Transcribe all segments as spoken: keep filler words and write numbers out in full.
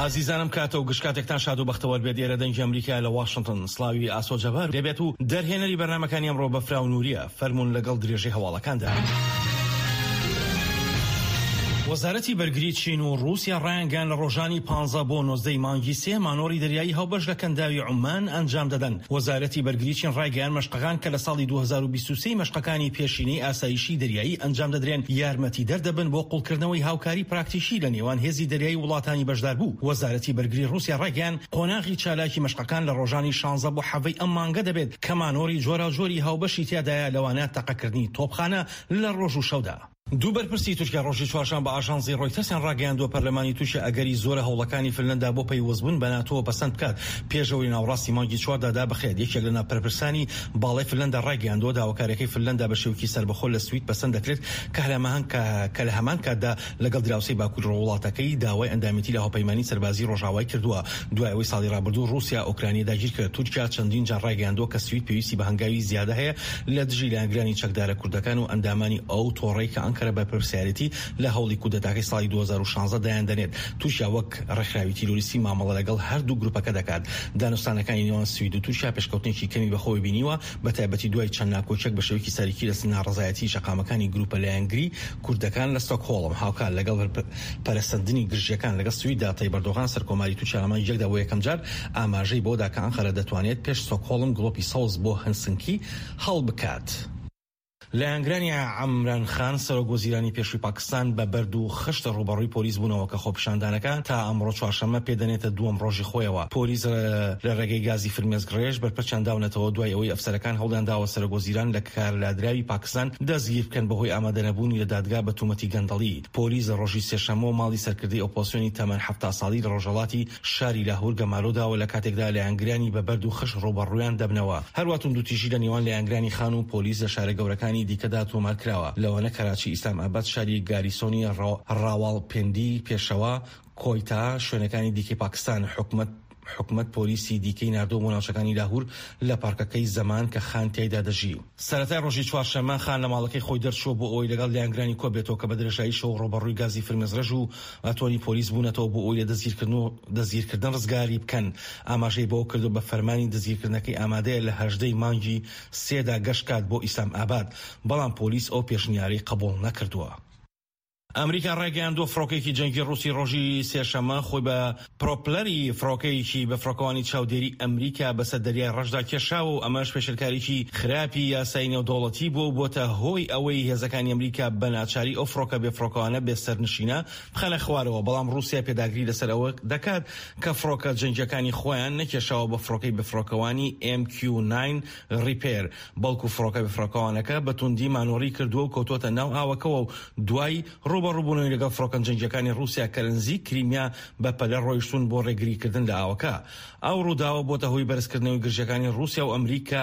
ئازیزانم، کاتە و گشت کاتێکتان شاد و بەختەوەر بێت. ئێرە دەنگی ئەمریکا لە واشنگتن. سڵاوی ئاسۆ جەبار دەبێت و دەرهێنەری بەرنامەکانی ئەمڕۆ بەفرا و نووریە. فەرمونون لەگەڵ درێژەی هەواڵەکاندا. وەزارەتی بەرگری چین و رووسیا ڕایانگەیاند لە ڕۆژانی پانزە بۆ نۆزدەی مانگی سێ مانۆڕی دەریایی هاوبەش لە کەنداوی عومان ئەنجام دەدەن. وەزارەتی بەرگری چین ڕایگەیاند مەشقەکان کە لە ساڵی دوو هەزار و بیست و سێ مەشقەکانی پێشینەی ئاسایشی دەریایی ئەنجام دەدرێن، یارمەتی دەردەبن بۆ قوڵکردنەوەی هاوکاری پراکتیکی لە نێوان هێزی دەریایی وڵاتانی بەشداربوو. وەزارەتی بەرگری رووسیا ڕایگەیاند قۆناغی چالاکی مەشقەکان لە ڕۆژانی شانزە بۆ حەڤەی ئەم مانگە دەبێت کە مانۆڕی جۆراوجۆری هاوبەشی تیادایە، لەوانە تەقەکردنی تۆپخانە لە ڕۆژ و شەودا. دوو بەرپرسی تورکیا ڕۆژی چوارشەممە بە ئاژانسی ڕۆیتەرسیان ڕاگەیاندووە پەرلەمانی تورکیا ئەگەری زۆرە هەوڵەکانی فنلندا بۆ پەیوەستبوون بە ناتۆ پەسەند بکات پێشەوەی ناوەڕاستی مانگی چواردا دابخرێت. یەکێک لە ناپەرپرسانی باڵای فنلندا ڕایگەیاندووە داواکاریەکەی فنلندا بە شێوەیەکی سەربەخۆ لە سوید پەسەند دەکرێت کە لە هەمان کاتدا لەگەڵ دراوسێی باکووری وڵاتەکەی داوای ئەندامێتی لە هاوپەیمانی سەربازی ڕۆژاوای کردووە. دوای ئەوەی ساڵی ڕابردوو ڕووسیا ئۆکرانیا داگیر کرد، تورکیا چەندین جار ڕایگەیاندووە کە سوید پێویستی بە هەنگاوی زیادە هەیە لە دژی لایەنگرانی چەکدارە کوردەکان و ئەندامانی ئەو تۆڕەی کە ئەنکەرە بەرپرسیارێتی لە هەوڵی کودەتاکەی ساڵی دوو هەزار و شانزە دایان دەنێت. تورکیا وەک ڕێکخراوی تیرۆریستی مامەڵە لەگەڵ هەردوو گروپەکە دەکات. دانوستانەکانی نێوان سوید و تورکیا پێشکەوتنێکی کەمی بەخۆی بینیوە، بە تایبەتی دوای چەند ناکۆکیەک بە شێوەیەکی سەرەکی لە ناڕەزایەتی شەقامەکانی گروپە لایەنگری کوردەکان لە ستۆکهۆڵم. هاوکات لەگەڵ پەرەسەندنی گرژیەکان لەگەڵ سویددا، تەیب ئەردۆغان سەرکۆماری تورکیا لە مانگی یەکدا بۆ یەکەمجار ئاماژەی بەوەدا کە ئەنقەرە دەتوانێت پێش ستۆکهۆڵم گڵۆپی سەوز بۆ هەلسنکی هەڵبکات. لایەنگرانی عەمران خان سەرۆک وەزیرانی پێشووی پاکستان بە بەرد و خشت ڕووبەڕووی پۆلیس بوونەوە کە خۆپیشاندانەکە تا ئەمڕۆ چوارشەممە پێدەنێتە دووەم ڕۆژی خۆیەوە. پۆلیس لە ڕێگەی گازی فرمێسکڕێژ بەرپەرچیان داونەتەوە دوای ئەوەی ئەفسەرەکان هەوڵیان داوە سەرۆک وەزیران لە کارلادراوی پاکستان دەستگیر بکەن بەهۆی ئامادەنەبوونی لە دادگا بە تومەتی گەندەڵی. پۆلیس لە ڕۆژی سێشەممەوە ماڵی سەرکردەی ئۆپۆزسیۆنی تەمەن حەفتا ساڵی لە ڕۆژهەڵاتی شاری لاهور گەمارۆ داوە لە کاتێکدا لایەنگرانی بە بەرد و خشت ڕووبەڕوویان دەبنەوە. هەروە توندوتیژی لە نێوان لایەنگرانی خان و پۆلیس لە شارە گەورەکانی دیکەدا تۆمار کراوە، لەوانە کەراچی، ئیسلام ئاباد، شاری گاریسۆنی ڕاواڵپێندی، پێشەوە، کۆیتا، شوێنەکانی دیکەی پاکستان. حکومەت حکومەت پۆلیسی دیکەی ناردۆ بۆ ناوچەکانی لاهور لە پارکەکەی زەمان کە خان تیایدا دەژی. سەرەتای ڕۆژی چوارشەممە خان لە ماڵەکەی خۆی دەرچووە بۆ ئەوەی لەگەڵ لایەنگرانی کۆبێتەوە کە بە درێژایی شەو ڕووبەڕووی گازی فرمێسکڕێژ و ئەتۆنی پۆلیس بوونەتەوە بۆ ئەوەی لە دەستگیرکردن و دەستگیرکردن ڕزگاری بکەن. ئاماژەی بەوە کردو بە فەرمانی دەستگیرکردنەکەی ئامادەیە لە هەژدەی مانگی سێدا گەشت کات بۆ ئیسلام ئاباد، بەڵام پۆلیس ئەو پێشنیارەی قبوڵ نەکردووە. ئەمریکا ڕایگەیاندووە فڕۆکەیەکی جەنگی ڕووسی ڕۆژی سێشەممە خۆی بە پرۆپلەری فڕۆکەیەکی بە فڕۆکەوانی چاودێری ئەمریکا بەسەر دەریای ڕەشدا کێشاوە و ئەمەش پێشێلکاریی خراپی یاسای نێودەوڵەتی بووە و بۆتە هۆی ئەوەی هێزەکانی ئەمریکا بە ناچاری ئەو فڕۆکە بێ فڕۆکەوانە بێ سەرنشینە بخەنە خوارەوە. بەڵام ڕووسیا پێداگری لەسەر ئەوە دەکات کە فڕۆکە جەنگیەکانی خۆیان نەکێشاوە بە فڕۆکەی بێفڕۆکەوانی ئێم کیو ناین ڕیپێر، بەڵکو فڕۆکە بێفڕۆکەوانەکە بە توندی مانۆڕی کردووە و کەوتووەتە ناو ئاوەکەوە و دوای ڕووبەڕووبوونەوەی لەگەڵ فڕۆکە جەنگیەکانی ڕووسیا کە لە نزیک کریمیا بە پەلە ڕۆیشتون بۆ ڕێگریکردن لە ئاوەکە. ئەو ڕووداوە بۆتە هۆی بەرزکردنەوەی گرژیەکانی ڕووسیا و ئەمریکا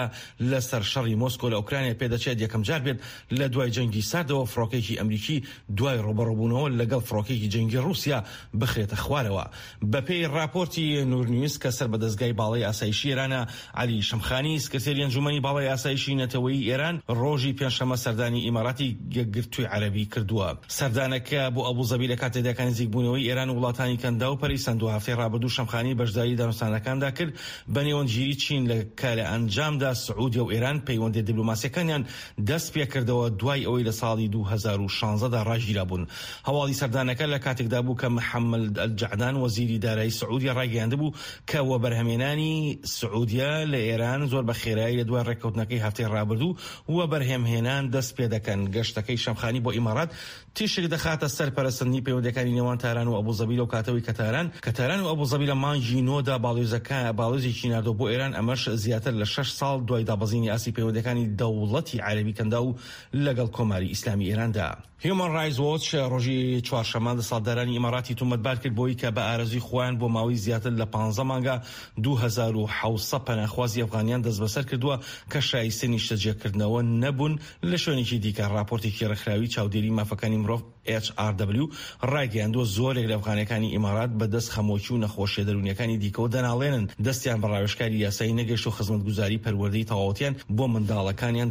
لەسەر شەڕی مۆسکۆ لە ئۆکرانیا. پێدەچێت یەکەم جار بێت لە دوای جەنگی ساردەوە فڕۆکێکی ئەمریکی دوای ڕووبەڕووبوونەوە لەگەڵ فڕۆکێکی جەنگی ڕووسیا بخرێتە خوارەوە. بەپێی ڕاپۆرتی نور نیوز کە سەر بە دەزگای باڵای ئاسایشی ئێرانە، عەلی شەمخانی سکرتێری ئەنجومەنی باڵای ئاسایشی نەتەوەیی ئێران ڕۆژی پێنجشەممە سەردانی ئیماراتی یەکگرتووی عەرەبی کردووە. سەردانەکە بۆ ئەبوزەبی لە کاتێکدا کە نزیکبوونەوەی ئێران و وڵاتانی کەنداو پەرەی سەند. هەفتەی ڕابردوو شەمخانی بەشداری دانوستانەکاندا کرد بە نێوەندگیری چین لە کە لە ئەنجامدا سعودیە و ئێران پەیوەندیە دیپلۆماسیەکانیان دەست پێکردەوە دوای ئەوەی لە ساڵی دوو هەزار و شانزە دا ڕاگیرابوون. هەواڵی سەردانەکە لە کاتێکدا بوو کە محەممەد ئەلجەعدان وەزیری دارایی سعودیە ڕایگەیاندبوو کە وەبەرهەمێنانی سعودیە لە ئێران زۆر بە خێرایی لە دوای ڕێککەوتنەکەی هەفتەی ڕابردوو وەبەرهەمهێنان دەست پێدەکەن. گەشتەکەی شەمخانی بۆ ئیمارات تیشک دەخاتە سەر پەرەسەندنی پەیوەندیەکانی نێوان تاران و ئەبوزەبی لەو کاتەوەی کە تاران کە تاران و ئەبوزەبی لە مانگی نۆدا باڵیۆزەکە باڵیۆزێکی ناردووە بۆ ئێران، ئەمەش زیاتر لە شەش ساڵ دوای دابەزینی ئاستی پەیوەندیەکانی دەوڵەتی عەرەبی کەنداو لەگەڵ کۆماری ئیسلامی ئێراندا. هیومان ڕایتس وۆچ ڕۆژی چوارشەممە دەسەڵاتدارانی ئیماراتی تۆمەتبار کرد بۆی کە بە ئارەزووی خۆیان بۆ ماوەی زیاتر لە پانزە مانگە دوو هەزار و حەوت سەد پەناخوازی ئەفغانیان دەستبەسەر کردووە کە شایستەی نیشتەجێکردنەوە نەبوون لە شوێنێکی دیکە. ڕاپۆرتێکی ڕێکخراوی چاودێری مافەکانی مرۆڤ ئێچ ئار دەبلیو ڕایگەیاندووە زۆرێک لە ئەفغانەکانی ئیمارات بەدەست خەمۆکی و نەخۆشیە دەروونیەکانی دیکەوە دەناڵێنن، دەستیان بە ڕاوێژکاری یاسایی نەگەیشت و خزمەتگوزاری پەروەردەی تەواوەتیان بۆ منداڵەکانیان